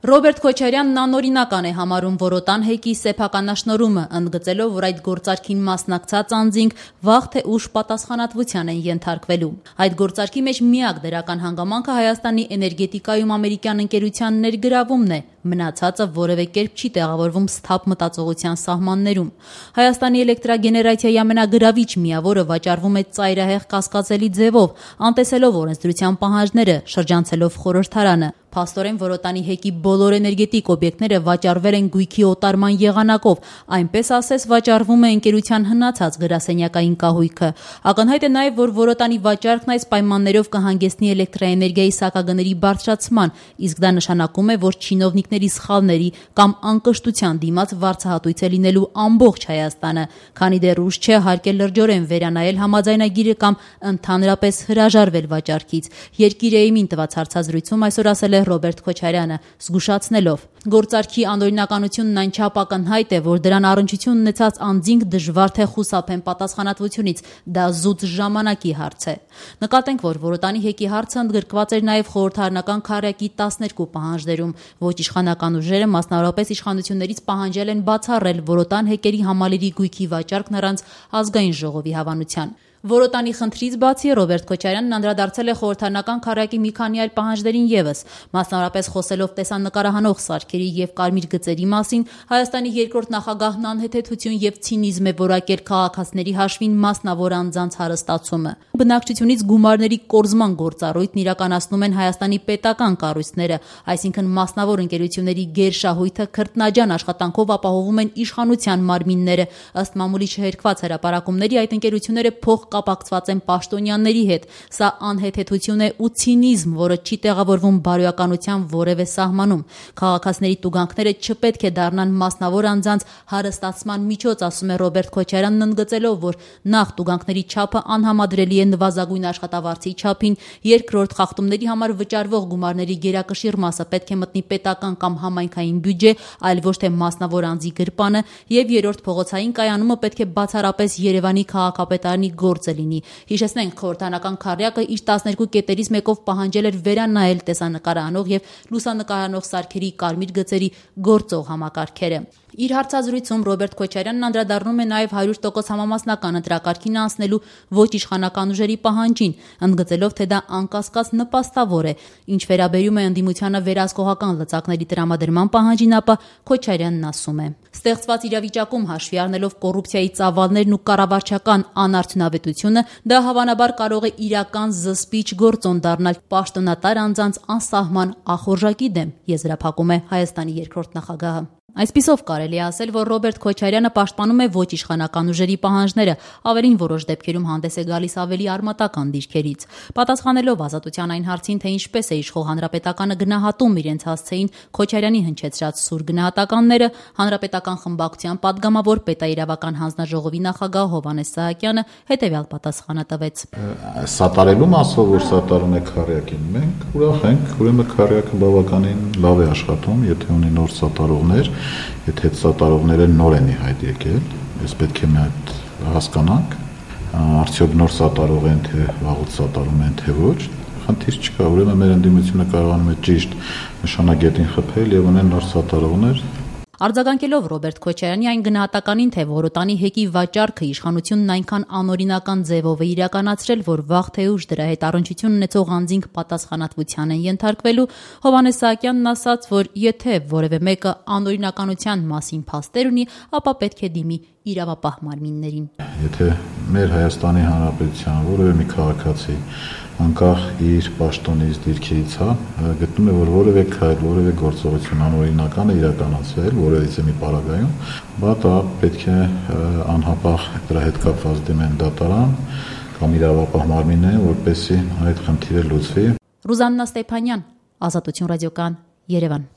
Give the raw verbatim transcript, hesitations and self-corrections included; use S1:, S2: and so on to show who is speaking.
S1: Ռոբերտ Քոչարյանն անօրինական է համարում Որոտան հեկի սեփականաշնորհումը, ընդգծելով, որ այդ գործարքին մասնակցած անձինք վաղ թե ուշ պատասխանատվության են ենթարկվելու։ Այդ գործարքի մեջ միակ դրական հանգամանքը Հայաստանի էներգետիկայում ամերիկյան ընկերության ներգրավումն է, մնացածը որևէ կերպ չի տեղավորվում սթափ մտածողության սահմաններում։ Հայաստանի էլեկտրագեներացիայի ամենագրավիչ միավորը վաճառվում է ծայրահեղ կասկածելի ձևով, անտեսելով օրենսդրության պահանջները, շրջանցելով խորհրդարանը։ Փաստորեն Որոտանի հեկի բոլոր էներգետիկ օբյեկտները վաճառվել են գույքի օտարման եղանակով, այնպես ասես վաճառվում է ընկերության հնացած գրասենյակային կահույքը։ Ակնհայտ է նաև, որ Որոտանի վաճառքն այս պայմաններով կհանգեցնի էլեկտրաէներգիայի սակագների բարձրացման, իսկ դա նշանակում է, որ չինովնիկների սխալների կամ անկշտության դիմաց վարձահատույց է լինելու ամբողջ Հայաստանը, քանի դեռ ուշ չէ հարկել լրջորեն վերանայել համաձայնագիրը կամ ընդհանրապես հրաժարվել վաճառքից։ Երկիր Էյմին տված հարցազրույցում այսօր ասել է Ռոբերտ Քոչարյանը, զգուշացնելով. Գործարքի անօրինականությունն այնչափ ակնհայտ է, որ դրան առնչություն ունեցած անձինք դժվար թե խուսափեն պատասխանատվությունից, դա զուտ ժամանակի հարց է։ Նկատենք, որ Որոտանի հեկի հարցը ընդգրկված էր նաև խորհրդարանական քառյակի տասներկու պահանջներում։ Ոչ իշխանական ուժերը, մասնավորապես իշխանություններից պահանջել են բացառել Որոտան հեկերի համալիրի գույքի վաճառքն առանց ազգային ժողովի հավանության։ Որոտանի խնդրից բացի Ռոբերտ Քոչարյանն անդրադարձել է խորհրդարանական քառյակի մի քանի այլ պահանջներին ևս, մասնավորապես խոսելով տեսանկարահանող սարքերի եւ կարմիր գծերի մասին, Հայաստանի երկրորդ նախագահն անհեթեթություն եւ ցինիզմ է որակել քաղաքացիների հաշվին մասնավոր անձանց հարստացումը։ Բնակչությունից գումարների կորզման գործառույթն իրականացնում են Հայաստանի պետական կառույցները, այսինքն մասնավոր ընկերությունների գերշահույթը քրտնաջան աշխատանքով ապահովում են իշխանության մարմինները, ըստ մամուլի չհերկված հրապարակումների այդ ընկերությունները փող կապակցված են պաշտոնյաների հետ։ Սա անհեթեթություն է ու ցինիզմ, որը չի տեղավորվում բարոյականության որևէ սահմանում։ Քաղաքացիների տուգանքները չպետք է դառնան մասնավոր անձանց հարստացման միջոց, ասում է Ռոբերտ Քոչարյանն, ընդգծելով, որ նախ տուգանքների չափը անհամադրելի է նվազագույն աշխատավարձի չափին, երկրորդ խախտումների համար վճարվող գումարների գերակշիռ մասը պետք է մտնի պետական կամ համայնքային բյուջե, այլ ոչ թե մասնավոր անձի գրպանը, եւ երրորդ փողոցային կայանումը պետք է բացառապես Երևանի քաղաքապետարանի գործ լինի։ Հիշեցնենք, խորհրդարանական քառյակը իր տասներկու կետերից մեկով պահանջել էր վերանայել տեսանկարահանող եւ լուսանկարահանող սարքերի կարմիր գծերի գործող համակարգերը։ Իր հարցազրույցում Ռոբերտ Քոչարյանն անդրադառնում է նաև հարյուր տոկոս համամասնական ընտրակարգին անցնելու ոչ իշխանական ուժերի պահանջին, ընդգծելով, թե դա անկասկած նպաստավոր է։ Ինչ վերաբերում է ընդդիմությանը վերահսկողական լծակների տրամադրման պահանջին, ապա Քոչարյանն ասում է. Ստեղծված իրավիճակում հաշվի առնելով կոռուպցիայի ծավալներն ու կառավարչական անարդյունավետությունը, դա հավանաբար կարող է իրական զսպիչ գործոն դառնալ պաշտոնատար անձանց անսահման ախորժակի դեմ, եզրափակում է Հայաստանի երկրորդ նախագահը։ Այսպիսով կարելի է ասել, որ Ռոբերտ Քոչարյանը պաշտպանում է ոչ իշխանական ուժերի պահանջները, ավելին որոշ դեպքերում հանդես է գալիս ավելի արմատական դիրքերից։ Պատասխանելով Ազատության այն հարցին, թե ինչպես է իշխող հանրապետականը գնահատում իրենց հասցեին Քոչարյանի հնչեցրած սուր գնահատականները, հանրապետական խմբակցության падգամավոր պետաիրավական հանձնաժողովի նախագահ Հովհաննես Սահակյանը հետևյալ պատասխանը տվեց.
S2: Սատարելու մասով, որ սատարում է քառյակին, մենք ուրախ ենք, ուրեմն քառյակը բավականին լավ է աշխատում, եթե ունի նոր սատարողներ, եթե այդ սատարողները նոր են ի հայտ եկել, ես պետք է մի հատ հասկանանք, արդյոք նոր սատարող են, թե վաղուց սատարում են, թե ոչ, խնդիր չկա, ուրեմն մեր ընդդիմությունը կարողանում է ճիշտ նշանագետին խփել եւ ունեն նոր սատարողներ։
S1: Արձագանքելով Ռոբերտ Քոչարյանի այն գնահատականին, թե Որոտանի հեկի վաճառքը իշխանությունն այնքան անօրինական ձևով է իրականացրել, որ վաղ թե ուշ դրա հետ առնչություն ունեցող անձինք պատասխանատվության են ենթարկվելու, Հովհաննես Սահակյանն ասաց, որ եթե որևէ մեկը անօրինականության մասին փաստեր ունի, ապա պետք է դիմի իրավապահ մարմիններին։
S2: Եթե մեր Հայաստանի Հանրապետության որևէ մի քաղաքացի անկախ իր պաշտոնից, դիրքերից, հա, գտնում է, որ որևէ քայլ, որևէ գործողություն անօրինական է իրականացվել որևիցե մի պարագայում, բա դա պետք է անհապաղ դրա հետ կապված դիմեն դատարան կամ իրավապահ մարմիններին, որպեսզի այդ խնդիրը լուծվի։
S1: Ռուզաննա Ստեփանյան, Ազատություն ռադիոկայան, Երևան։